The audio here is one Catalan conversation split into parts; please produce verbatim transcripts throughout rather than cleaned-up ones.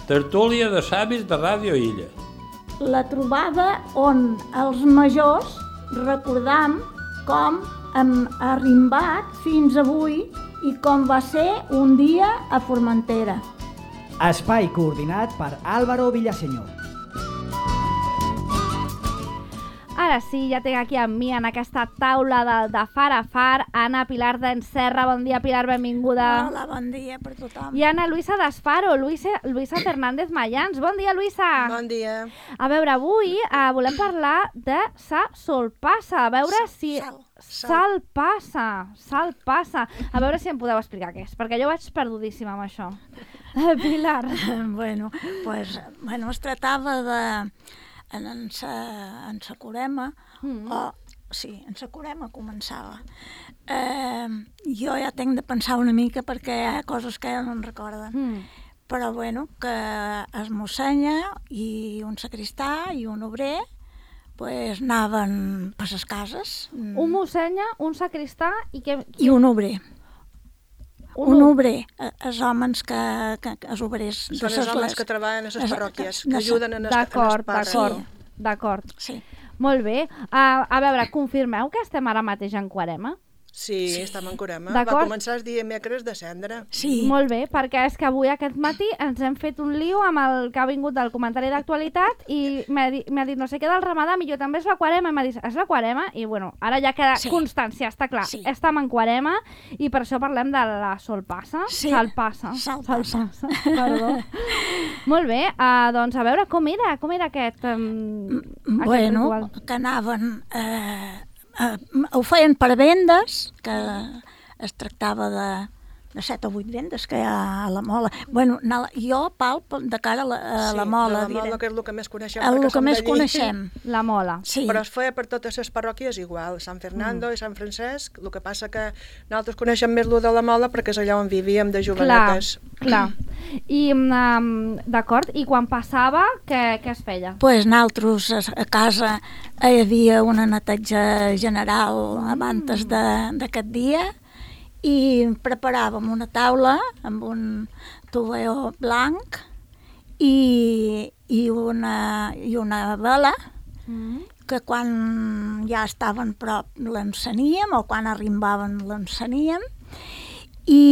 Tertúlia de savis de Ràdio Illa. La trobada on els majors recordam com hem arrimbat fins avui i com va ser un dia a Formentera. Espai coordinat per Álvaro Villaseñor. Ara sí, ja tinc aquí amb mi en aquesta taula del de Far a Far Anna Pilar d'Enserra. Bon dia, Pilar, benvinguda. Hola, bon dia per tothom. I Anna Luisa d'Esparo, Luisa, Luisa Fernández Mayans. Bon dia, Luisa. Bon dia. A veure, avui eh, volem parlar de sa solpassa. A veure Sal, si... sal, sal. Salpassa, salpassa. A veure si em podeu explicar què és, perquè jo vaig perdudíssima amb això. Pilar. Bueno, pues, bueno, es tractava de... En, en, sa, en sa Corema, mm. o sí, en sa Corema començava. Eh, jo ja tinc de pensar una mica perquè hi ha coses que ja no en recorden. Mm. Però bueno, que es mossenya i un sacristà i un obrer pues, anaven per les cases. Un mossenya, un sacristà i... Que... I un obrer. Un, un obrer, els homes que, que, que els obrers... Són els homes que treballen a les parròquies, que no, ajuden en els D'acord, parcs. d'acord, d'acord. Sí. Molt bé. Uh, a veure, confirmeu que estem ara mateix en Quarema? Sí, sí, estem en Corema. Va començar el dimecres de cendra. Sí. Molt bé, perquè és que avui aquest matí ens hem fet un lío amb el que ha vingut del comentari d'actualitat i m'ha dit, dit no sé què del Ramadà, i jo també és la Quarema, i m'ha dit, és la Quarema? I bueno, ara ja queda sí. constància, està clar. Sí. Estem en Quarema i per això parlem de la solpassa. Sí. Salpassa. Salpassa. Salpassa. Perdó. Molt bé, uh, doncs a veure, com era, com era aquest, um, bueno, aquest ritual? Que anaven... Eh... Uh, ho feien per vendes, que es tractava de, de set o vuit vendes que hi ha a la mola. Bueno, jo, Pal, de cara a la, a la sí, mola. Sí, la mola, que és el que més coneixem. El que més coneixem. La mola. Sí. Però es feia per totes les parròquies igual, Sant Fernando mm. i Sant Francesc, el que passa que nosaltres coneixem més el de la mola perquè és allà on vivíem de jovenetes. Clar, clar. I, um, d'acord, i quan passava, què, què es feia? Doncs pues nosaltres a casa hi havia una neteja general abans d'aquest dia i preparàvem una taula amb un tovalló blanc i, i, una, i una vela mm. que quan ja estaven prop l'enceníem o quan arribaven l'enceníem i,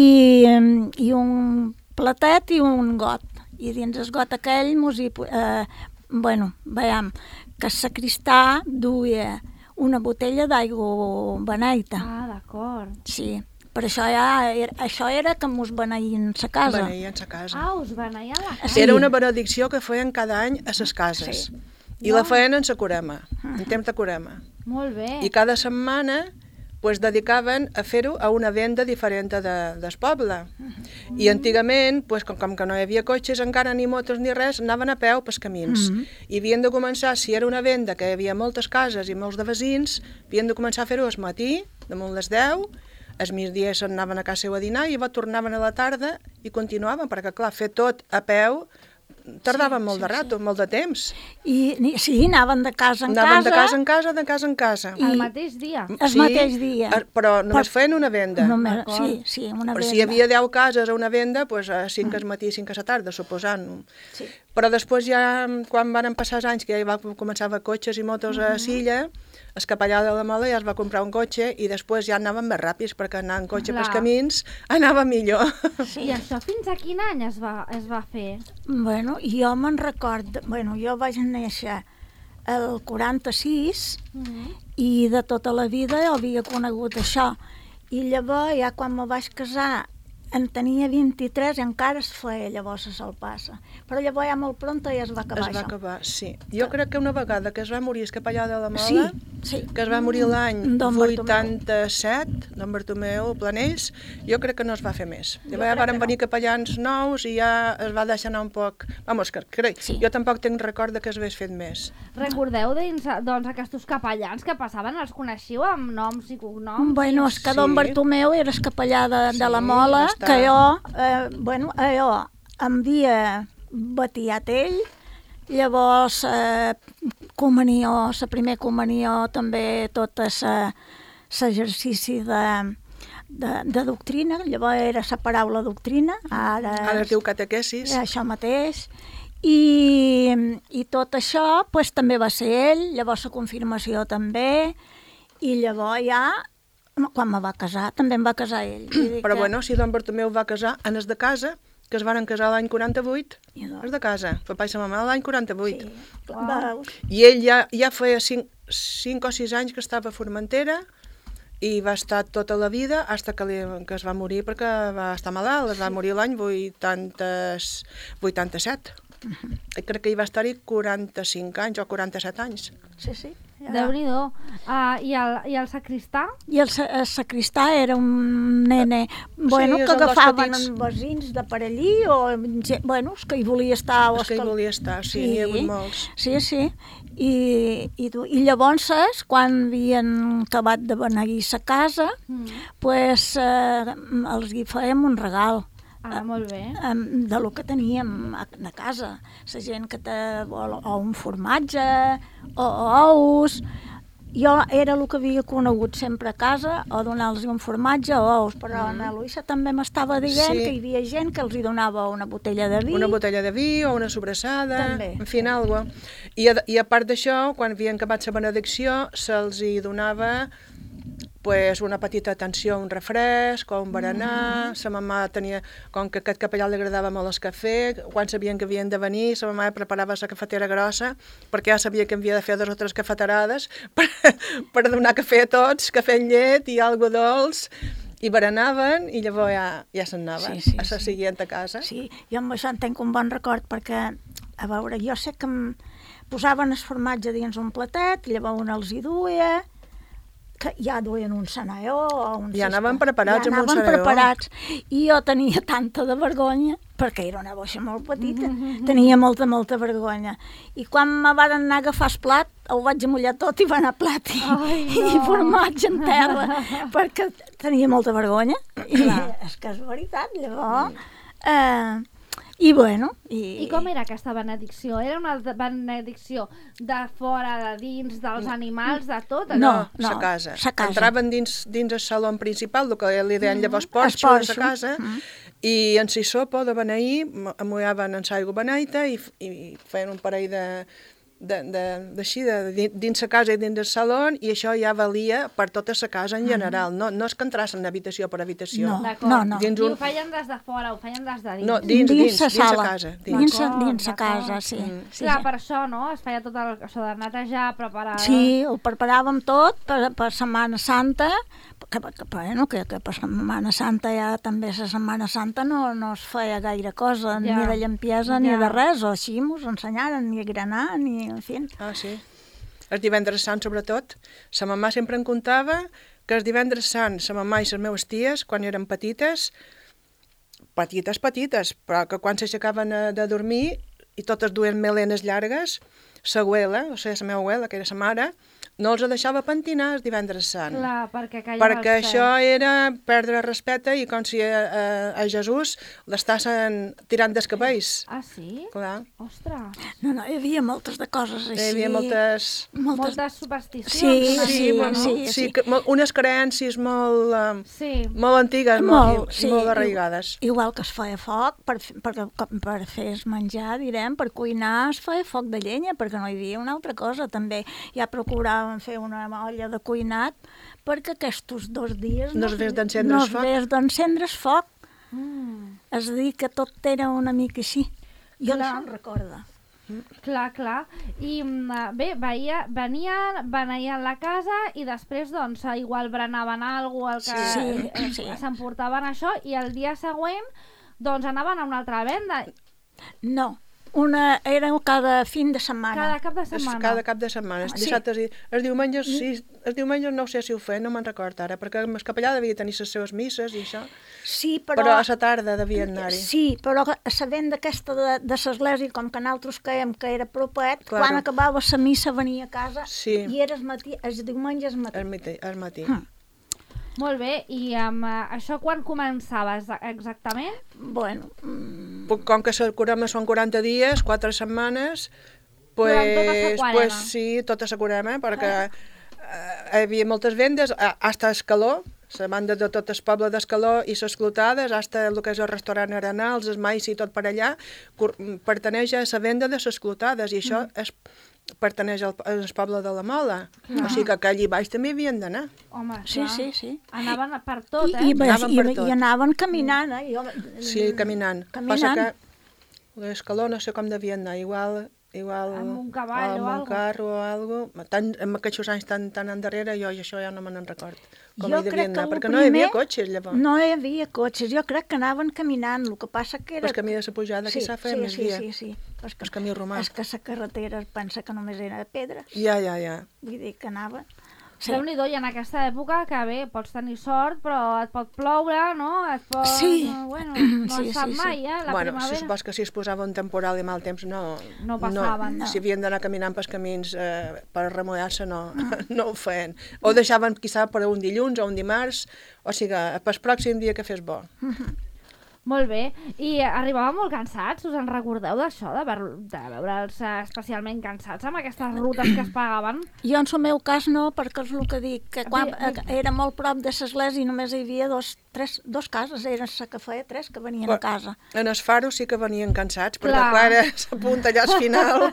i un platet i un got. I dins el got aquell mos hi, eh, bueno, veiem que el sacristà duia una botella d'aigua beneita. Ah, d'acord. Sí, per això ja era, això era que mos beneïen sa casa. Beneïen sa casa. Ah, us beneïen la casa. Sí. Era una benedicció que feien cada any a ses cases. Sí. I no. la feien en sa Corema, en temps de Corema. Molt bé. I cada setmana pues, dedicaven a fer-ho a una venda diferent de, del poble. Mm. I antigament, pues, com, com que no hi havia cotxes encara, ni motos ni res, anaven a peu pels camins. Mm. I havien de començar, si era una venda que hi havia moltes cases i molts de veïns, havien de començar a fer-ho al matí, damunt les deu, al migdia se'n anaven a casa seu a dinar i tornaven a la tarda i continuaven, perquè clar, fer tot a peu tardaven sí, molt de rato, sí. molt de temps. I sí, anaven de casa en anaven casa. Anaven de casa en casa, de casa en casa. I... El mateix dia? El sí, mateix dia. Però només feien una venda. Només, sí, sí, una però venda. si hi havia deu cases a una venda, doncs a cinc mm. al matí i cinc a la tarda, suposant. Sí. Però després ja, quan van passar els anys, que ja va començar a cotxes i motos mm. a Silla, el capellà de la Mola ja es va comprar un cotxe i després ja anaven més ràpids, perquè anar en cotxe pels camins anava millor. Sí. I això fins a quin any es va, es va fer? Bueno, jo me'n record, bueno, jo vaig néixer el quaranta-sis mm-hmm. i de tota la vida havia conegut això. I llavors, ja quan me vaig casar, en tenia vint-i-tres i encara es feia llavors a Salpassa. Però llavors ja molt pronta ja es va acabar es va això. acabar, sí. Jo crec que una vegada que es va morir el capellà de la Mola, sí, sí. que es va morir l'any vuitanta-set, don Bartomeu Planells, jo crec que no es va fer més. Llavors ja van venir no. capellans nous i ja es va deixar anar un poc... Vamos, que crec, sí. jo tampoc tinc record que es hagués fet més. Recordeu dins, doncs, aquests capellans que passaven, els coneixiu amb noms i cognoms? Bueno, és que sí. don Bartomeu era el capellà de, sí, de la Mola, que jo, eh, bueno, jo em havia batiat ell, llavors eh, comunió, la primer comunió també tot l'exercici de, de, de doctrina, llavors era la paraula doctrina, ara, Ara es diu catequesis. és això mateix, i, i tot això pues, també va ser ell, llavors la confirmació també, i llavors ja, quan me va casar, també em va casar ell. Vull dir Però que- bueno, si don Bartomeu va casar, en es de casa, que es van casar l'any quaranta-vuit, I doncs- és de casa, papa i sa mamà l'any quaranta-vuit. Sí, veus? I ell ja, ja feia cinc, cinc o sis anys que estava a Formentera i va estar tota la vida fins que, li, que es va morir perquè va estar malalt, es va morir l'any vuitanta-set. I crec que hi va estar-hi quaranta-cinc anys o quaranta-set anys. Sí, sí. Ja. Déu-n'hi-do. Uh, i, el, I el sacristà? I el, sa- el sacristà era un nene bueno, Sí, que són els agafaven petits. amb vecins de per allí o gent, bueno, els que hi volia estar. O És que hi els volia estar, sí, n'hi ha hagut molts. Sí, sí. I, i, tu- i llavors, quan havien acabat de beneir sa casa, Mm. pues, eh, els hi fèiem un regal. Ah, molt bé. em, de lo que teníem a, a casa. La gent que té o, o un formatge o, o ous. Jo era el que havia conegut sempre a casa, o donar-los un formatge o ous, però mm. na Luisa també m'estava dient Sí. que hi havia gent que els hi donava una botella de vi. Una botella de vi o una sobrassada, També. en fi, algo. I a, I a part d'això, quan havien acabat la benedicció, se'ls hi donava pues, una petita atenció, un refresc o un berenar. Mm. Sa mamà tenia, com que a aquest capellà li agradava molt el cafè, quan sabien que havien de venir, sa mamà preparava la cafetera grossa, perquè ja sabia que havia de fer dues o tres cafeterades per, per donar cafè a tots, cafè amb llet i algo dolç, i berenaven i llavors ja, ja se'n anaven Sí, sí, a la sí. següent a casa. Sí, jo amb això en tenc un bon record perquè, a veure, jo sé que em posaven el formatge dins un platet, llavors un els hi duia, que ja duien un senaió o un Ja cistó. anaven preparats ja amb un anaven senaió. preparats. I jo tenia tanta de vergonya, perquè era una boixa molt petita, tenia molta, molta vergonya. I quan me van anar a agafar el plat, ho vaig amullar tot i va anar plat i, Ai, i no. formatge en terra, perquè tenia molta vergonya. I Clar. és que és veritat, llavors... Eh, I bueno... I, I com era aquesta benedicció? Era una de- benedicció de fora, de dins, dels animals, de tot? No, No, no, sa casa. sa casa. Entraven dins, dins el saló principal, el que li deien llavors el porxo, de sa porxo. casa, Mm. i en si sopa de beneir, amullaven en l'aigua beneita i, i feien un parell de de, de, d'així, de, de, dins la casa i dins el saló, i això ja valia per tota la casa en general. No, no és que entrassin habitació per habitació. No. D'acord. no, no. I Dins un- ho feien des de fora, ho feien des de dins. No, dins, dins, la dins la sala. casa. Dins. Dins, D'acord, dins la d'acord. casa, sí. Mm. sí, Clar, sí. per això, no? Es feia tot el, això de netejar, preparar... Sí, ho preparàvem tot per, per Setmana Santa, que, que, bueno, que, que per Setmana Santa ja també la Setmana Santa no, no es feia gaire cosa, Ja. ni de llampiesa ni Ja. de res, o així mos ensenyaren, ni a granar, ni, en fi. Ah, sí. El divendres sant, sobretot, sa mamà sempre em contava que el divendres sant, sa mamà i les meves ties, quan eren petites, petites, petites, però que quan s'aixecaven a- de dormir i totes duien melenes llargues, sa abuela, o sigui, la meva abuela, que era sa mare, no els deixava pentinar el divendres sant. Clar, perquè callava Perquè els això peus. era perdre respecte i com si a, a, a Jesús l'estassin tirant dels cabells. Ah, sí? Clar, Ostres. No, no, hi havia moltes de coses així. hi havia moltes... moltes... Moltes supersticions. Sí, una sí, mica, no? sí, sí, sí. que, mol- unes creences molt, uh, Sí. molt antigues, molt, molt, sí, molt arraigades. Igual que es feia foc, per, fer- per, per fer es menjar, direm, per cuinar es feia foc de llenya, perquè no hi havia una altra cosa, també. Ja procuràvem fer una olla de cuinat, perquè aquests dos dies No es vés d'encendre no el es foc. vés d'encendre el foc. Mm. És a dir, que tot era una mica així. Jo Clar. no em recorda. Clar, clar. I mm, bé, veia, venien, beneien la casa i després, doncs, igual berenaven alguna cosa, el que Sí, eh, sí. s'emportaven això, i el dia següent, doncs, anaven a una altra venda, No, una, era cada fin de setmana. cada cap de És setmana. cada cap de setmana, els Ah, sí. dissabtes i els diumenges, sí, els diumenges no ho sé si ho feien, no me'n record ara, perquè el capellà devia tenir les seves misses i això, Sí, però, però... a la tarda devien anar-hi. Sí, però sabent d'aquesta de, de l'església, com que nosaltres caiem que era propet, Claro. quan acabava la missa venia a casa Sí. i era el matí, els diumenges matí. Al matí. Al matí. Mm. Molt bé, i amb eh, això quan començava exa- exactament? Bueno, mm, Puc- Com que el curema són quaranta dies, quatre setmanes, pues, Durant tota la quarema. pues sí, tota la curema, perquè eh, hi havia moltes vendes, a- hasta el calor, la banda de tot el poble d'Escaló i les clotades, hasta el que és el restaurant Arenals, el mais i tot per allà, pertaneix a la venda de les clotades, i això és, pertaneix al, al poble de la Mola. O sigui que allí baix també havien d'anar. Home, Sí, clar. sí, sí. Anaven per tot, I, eh? i, Anaven i, per i, tot. i anaven caminant, eh? Jo, Sí, caminant. Caminant. Passa que l'Escaló no sé com devien anar, igual... igual Amb un cavall o amb un algo. carro o algo. Tan, en aquests anys tan, tan endarrere, jo i això ja no me n'en record. Com Jo hi devien crec que anar, el perquè no hi havia primer- cotxes, llavors. no hi havia cotxes, jo crec que anaven caminant, el que passa que era... El camí de la pujada, aquí s'ha fet sí, més sí, dia. sí, sí. Però és que, El camí romà. És que la carretera pensa que només era de pedres, Ja, ja, ja. vull dir que anava... Sí. Déu-n'hi-do, i en aquesta època que bé, pots tenir sort, però et pot ploure, no? Et pot... Sí. No, bueno, no Sí, es sap sí, sí. mai, eh? La Bueno, si primavera. supos que si es posava un temporal i mal temps, no... No passaven, no. Si havien d'anar caminant pels camins eh, per remullar-se, no, no ho feien. O deixaven, quizà, per un dilluns o un dimarts, o sigui, pel pròxim dia que fes bo. Molt bé. I arribàvem molt cansats, us en recordeu d'això, de, ver de veure'ls eh, especialment cansats amb aquestes rutes que es pagaven? Jo en el meu cas no, perquè és el que dic, que quan Di- di- era molt prop de l'església i només hi havia dos, tres, dos cases, eren la que feia tres que venien a casa. En els faros sí que venien cansats, perquè Clar. clar, era s'apunta allà al final.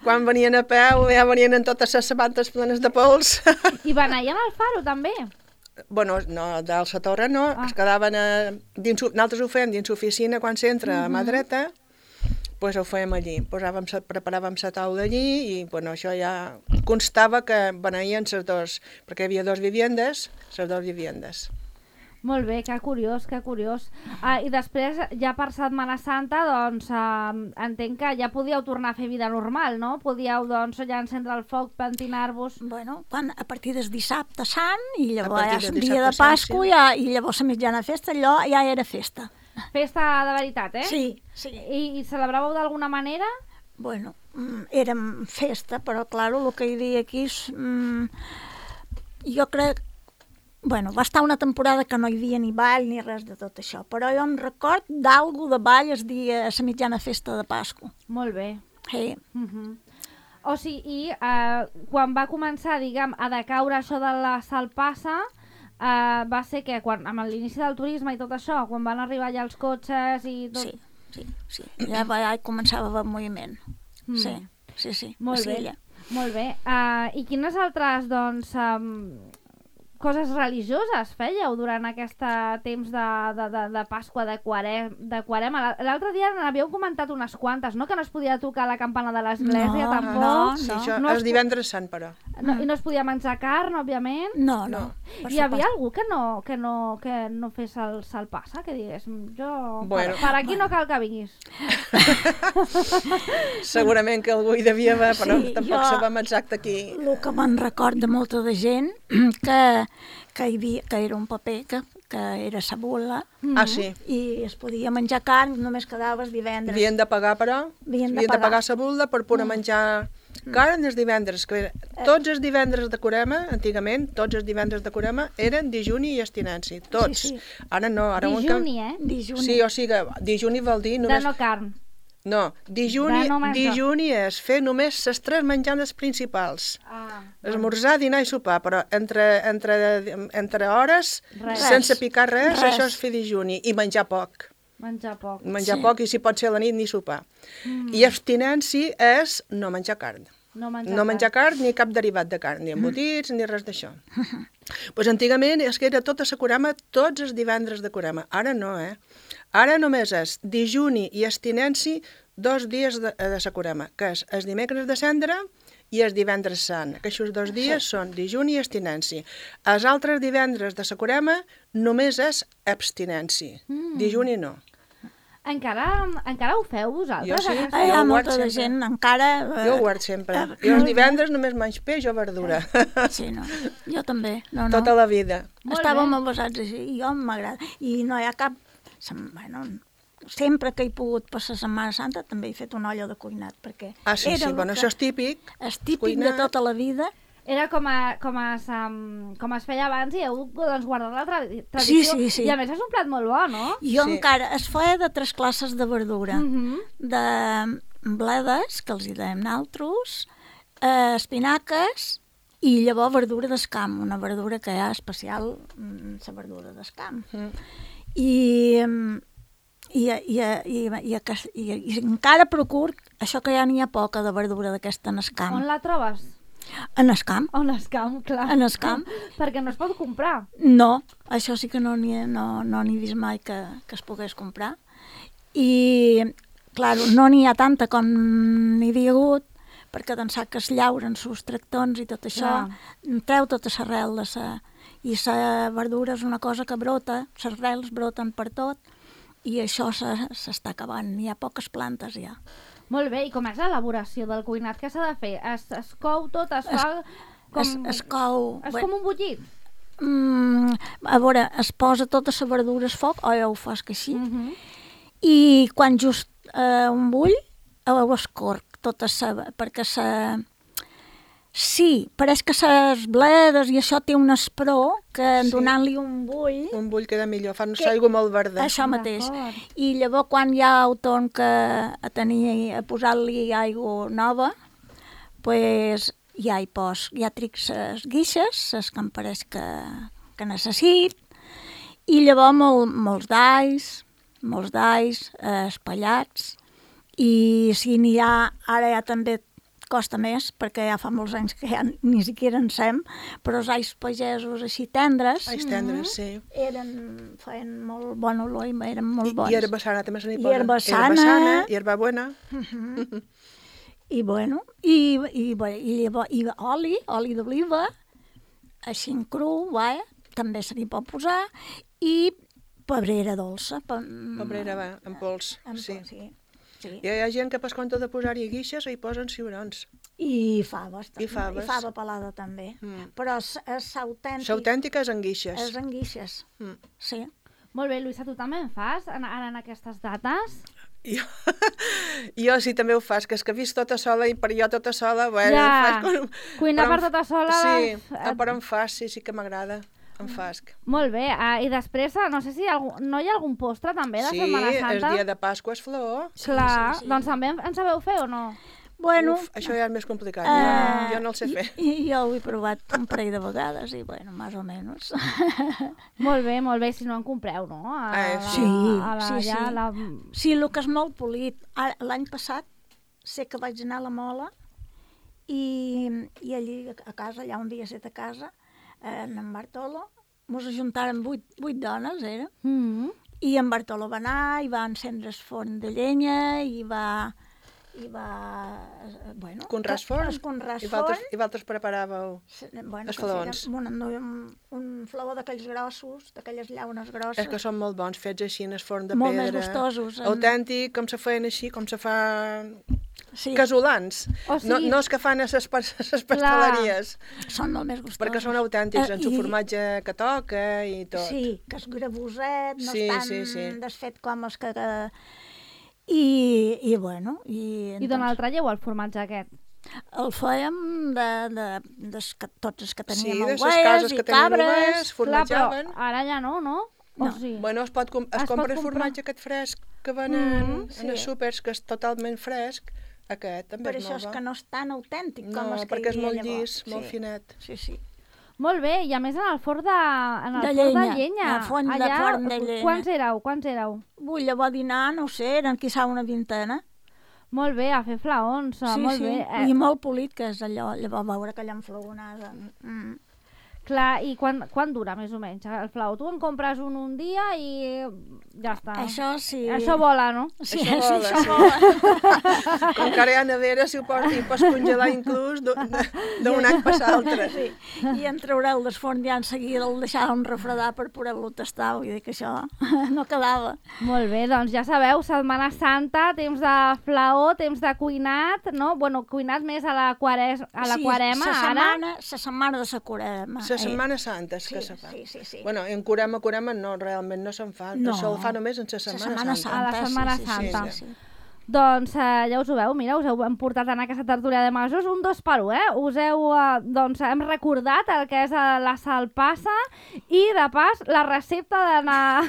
Quan venien a peu, ja venien amb totes les sabates plenes de pols. I beneien al faro, també? Bueno, no, dalt la torre no, Ah. es quedaven a, dins, nosaltres ho fèiem dins l'oficina quan s'entra a mà dreta, pues ho fèiem allí, posàvem, sa- preparàvem la taula allí i bueno, això ja constava que beneïen les dos, perquè hi havia dos viviendes, les dos viviendes. Molt bé, que curiós, que curiós. Ah, I després, ja per Setmana Santa, doncs, eh, entenc que ja podíeu tornar a fer vida normal, no? Podíeu, doncs, ja encendre el foc, pentinar-vos... Bueno, quan, a partir del dissabte sant, i llavors partir ja del el dia de dissabte sant, Pasqua, sí. ja, i llavors la mitjana festa, allò ja era festa. Festa de veritat, eh? Sí, sí. I, i celebràveu d'alguna manera? Bueno, mm, érem festa, però, claro, el que hi havia aquí és... Mm, jo crec... Bueno, va estar una temporada que no hi havia ni ball ni res de tot això, però jo em record d'algú de ball el dia, a la mitjana festa de Pasqua. Molt bé. Sí. Uh -huh. O sigui, i eh, quan va començar, diguem, a decaure això de la salpassa, eh, va ser que quan, amb l'inici del turisme i tot això, quan van arribar ja els cotxes i tot... Sí, sí, sí. Ja, va, ja començava el moviment. Mm. Sí, sí, sí. Molt a bé, Sella. molt bé. Uh, I quines altres, doncs, um, coses religioses fèieu durant aquest temps de, de, de, de Pasqua, de, quarem, de Quarema? L'altre dia n'havíeu comentat unes quantes, no? Que no es podia tocar la campana de l'església, No, tampoc. no, Sí, no. això No és es- divendres sant, però. No, I no es podia menjar carn, òbviament. No, no. per Hi havia supost. algú que no, que no, que no fes el salpassa, que digués, jo... Bueno. per, per aquí no cal que vinguis. Segurament que algú hi devia haver, però Sí, tampoc jo- sabem exacte qui... El que me'n record de molta de gent, que, que, hi havia, que era un paper, que, que era sabula, Ah, sí. i es podia menjar carn, només quedaves divendres. Havien de pagar, però, Havien de havien de pagar. pagar la bulda per poder menjar carn els divendres. Que era- tots els divendres de Corema, antigament, tots els divendres de Corema eren dijuni i abstinència, tots. Sí, sí. Ara no, ara... un Dijuni, eh? Dijuni. Sí, o sigui, dijuni vol dir De només... no carn. No, dijuni, De no menjar. dijuni és fer només les tres menjades principals. Ah, Esmorzar, dinar i sopar, però entre, entre, entre hores, Res. sense picar res, Res. això és fer dijuni. I menjar poc. menjar poc. Menjar Sí. poc i si pot ser a la nit ni sopar. Mm. I abstinència és no menjar carn. No menjar, No menjar carn ni cap derivat de carn, ni embotits ni res d'això. Pues antigament és que era tota la Corema tots els divendres de Corema. Ara no, eh? Ara només és dijuni i abstinència dos dies de, de la Corema, que és el dimecres de cendra i el divendres sant. Aquests dos dies són dijuni i abstinència. Els altres divendres de la Corema només és abstinència. Mm. Dijuni no. Encara, encara ho feu vosaltres? Jo sí. aquesta? Ah, hi ha Jo ho molta guardo de sempre. gent encara... eh, Jo ho guardo sempre. eh, Jo els divendres només menys peix o verdura. Sí, no. Jo també. No, no. Tota la vida. Molt Estàvem bé. avasats així, i jo m'agrada. I no hi ha cap... sem- Bueno, sempre que he pogut passar Setmana Santa també he fet una olla de cuinat, perquè Ah, sí, era sí, el bueno, que- això és típic. és típic cuinar. de tota la vida. Era com, a, com, es, um, com es feia abans i heu doncs, guardat la tra tradició. Sí, sí, sí. I a més és un plat molt bo, no? Jo Sí. encara es feia de tres classes de verdura. Mhm. De bledes, que els hi dèiem naltros, eh, espinaques I llavors verdura d'escam, una verdura que hi ha especial, la verdura d'escam. Mm. I, i, i, i, i, i, i encara procuro això que ja n'hi ha poca de verdura d'aquesta en escam. On la trobes? En escam. En escam, clar. En escam. Perquè no es pot comprar. No, això sí que no n'hi no, no n'hi he vist mai que, que es pogués comprar. I, clar, no n'hi ha tanta com n'hi havia hagut, perquè d'ençà que es llauren sus tractons i tot això, ja. Treu tota l'arrel de sa... I la verdura és una cosa que brota, les arrels broten per tot, i això s'està acabant, hi ha poques plantes ja. Molt bé, i com és l'elaboració del cuinat? Què s'ha de fer? Es, es cou tot, es, es fa... Com... Es, es cou... És com un bullit? Mm, a veure, es posa tota la verdura al foc, o ja ho fas que així, Uh -huh. i quan just eh, un bull, ho escorc tota sa... perquè sa... Sí, pareix que les bledes i això té un espró que Sí. donant-li un bull... Un bull queda millor, fan Que- aigua molt verda. Això mateix. D'acord. I llavors quan ja ho torn que a tenir, a posar-li aigua nova, pues ja hi pos, ja tric les guixes, les que em pareix que, que necessit, i llavors mol, molts d'alls, molts d'alls eh, espallats, i si n'hi ha, ara ja també costa més, perquè ja fa molts anys que ja ni siquiera en sem, però els alls pagesos així tendres, Ais tendres, sí. eren, feien molt bon olor i eren molt I, bons. I herba sana també se n'hi I posa. herba sana. Herba sana, i herba buena. I bueno, i, i, bé, i, llavors, i oli, oli d'oliva, així en cru, va, també se n'hi pot posar, i pebrera dolça. Pa, Pebrera, va, en pols, en sí. pols, sí. Sí. I hi ha gent que per compte de posar-hi guixes hi posen ciurons. I faves, també. I faves. I fava pelada també. Mm. Però és, és autèntic. L'autèntica és en guixes. És en guixes, Mm. sí. Molt bé, Luisa, tu també en fas en, ara en aquestes dates? Jo, jo sí també ho fas, que és que he vist tota sola i per jo tota sola... Bueno, Ja, faig com... cuinar però per em- tota sola, Sí, les- però em fas, sí, sí que m'agrada. Em fas. Molt bé, ah, i després, ah, no sé si hi ha algun, no hi ha algun postre també de Sí, Setmana Santa? el dia de Pasqua és flor. Clar, sí, sí. doncs també en sabeu fer o no? Bueno, Uf, això ja és més complicat, eh, jo, jo no el sé fer. I, jo ho he provat un parell de vegades i, bueno, més o menys. Molt bé, molt bé, si no en compreu, no? A, Eh, la, sí, a la, sí, ja, sí. La... Sí, el que és molt polit. Ara, l'any passat sé que vaig anar a la Mola i, i allí a casa, allà un dia set a casa, eh, en Bartolo, mos ajuntaren vuit, vuit dones, era, Mm. i en Bartolo va anar i va encendre el forn de llenya i va... i va... eh, bueno... Conràs forn? Es conràs I forn. vosaltres, i vosaltres preparàveu... Bueno, els que feren flaons. Un, un, un flaó d'aquells grossos, d'aquelles llaunes grosses. És que són molt bons, fets així en el forn de Molt pedra. més gustosos, en- Autèntic, com se feien així, com se fa... Sí, Casolans. O No, sigui- no és que fan a les pasteleries, són molt més gustosos. perquè són autèntics, Eh, en su i- formatge que toca i tot. Sí, que és gravoset, no Sí, és tan sí, sí. desfet com els que... que... I, I, bueno... I, I d'on el traieu, el formatge aquest? El fèiem de, de, de, de tots els que Sí, teníem de les ovelles cases i que tenien cabres. ovelles, Clar, però formatjaven. ara ja no, no? O No. sí? Bueno, es, pot, com- es, Es pot compra el comprar. formatge aquest fresc que venen Mm, en els sí. súpers, que és totalment fresc. Aquest també Per és això molt és bo. que no és tan autèntic com No, els que perquè hi és havia molt llavors. llis, molt finet. Sí, sí. Molt bé, i a més en el forn de, en el De forn llenya, de llenya. el forn de Allà, forn de llenya. Quants éreu? Quants éreu? Ui, llavors dinar, no ho sé, eren quizà una vintena. Molt bé, a fer flaons, Sí, molt sí, bé. Eh, i molt polit, que és allò, llavors veure aquella enflagonada. Mm. Clar, i quan, quan dura més o menys el flaó? Tu en compres un un dia i ja està. Això sí. Això vola, no? Sí, Això sí, vola, això sí. vola. Com que ara hi ha nevera, si ho pots, hi pots congelar inclús d'un d'un any per l'altre. Sí. I en treureu del forn ja en seguida el deixàvem refredar per poder-lo tastar, vull dir que això no quedava. Molt bé, doncs ja sabeu, Setmana Santa, temps de flaó, temps de cuinat, no? Bueno, cuinat més a la, quares, a la Sí, quarema, sa ara. setmana, la setmana de la quarema. La Setmana Santa és Sí, que se fa. sí, sí, sí. Bueno, en curema, curema no, realment no se'n fa. No. Això el fa només en la La Setmana, Setmana Santa. A la Setmana sí, sí, Santa. Sí, sí, sí. Doncs eh, ja us ho veu, mira, us heu portat en aquesta tertúlia de majors un dos per un, eh? Us heu, eh, doncs, hem recordat el que és eh, la salpassa i, de pas, la recepta d'anar...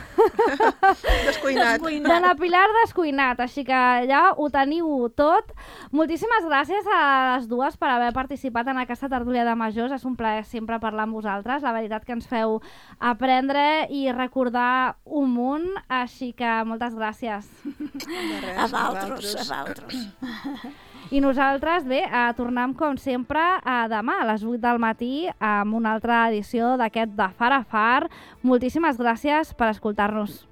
Descuinat. D'anar Pilar descuinat, així que ja ho teniu tot. Moltíssimes gràcies a les dues per haver participat en aquesta tertúlia de majors. És un plaer sempre parlar amb vosaltres. La veritat que ens feu aprendre i recordar un munt, així que moltes gràcies. De res, A vosaltres, a vosaltres. I nosaltres, bé, eh, tornem com sempre a demà a les vuit del matí amb una altra edició d'aquest de Far a Far. Moltíssimes gràcies per escoltar-nos.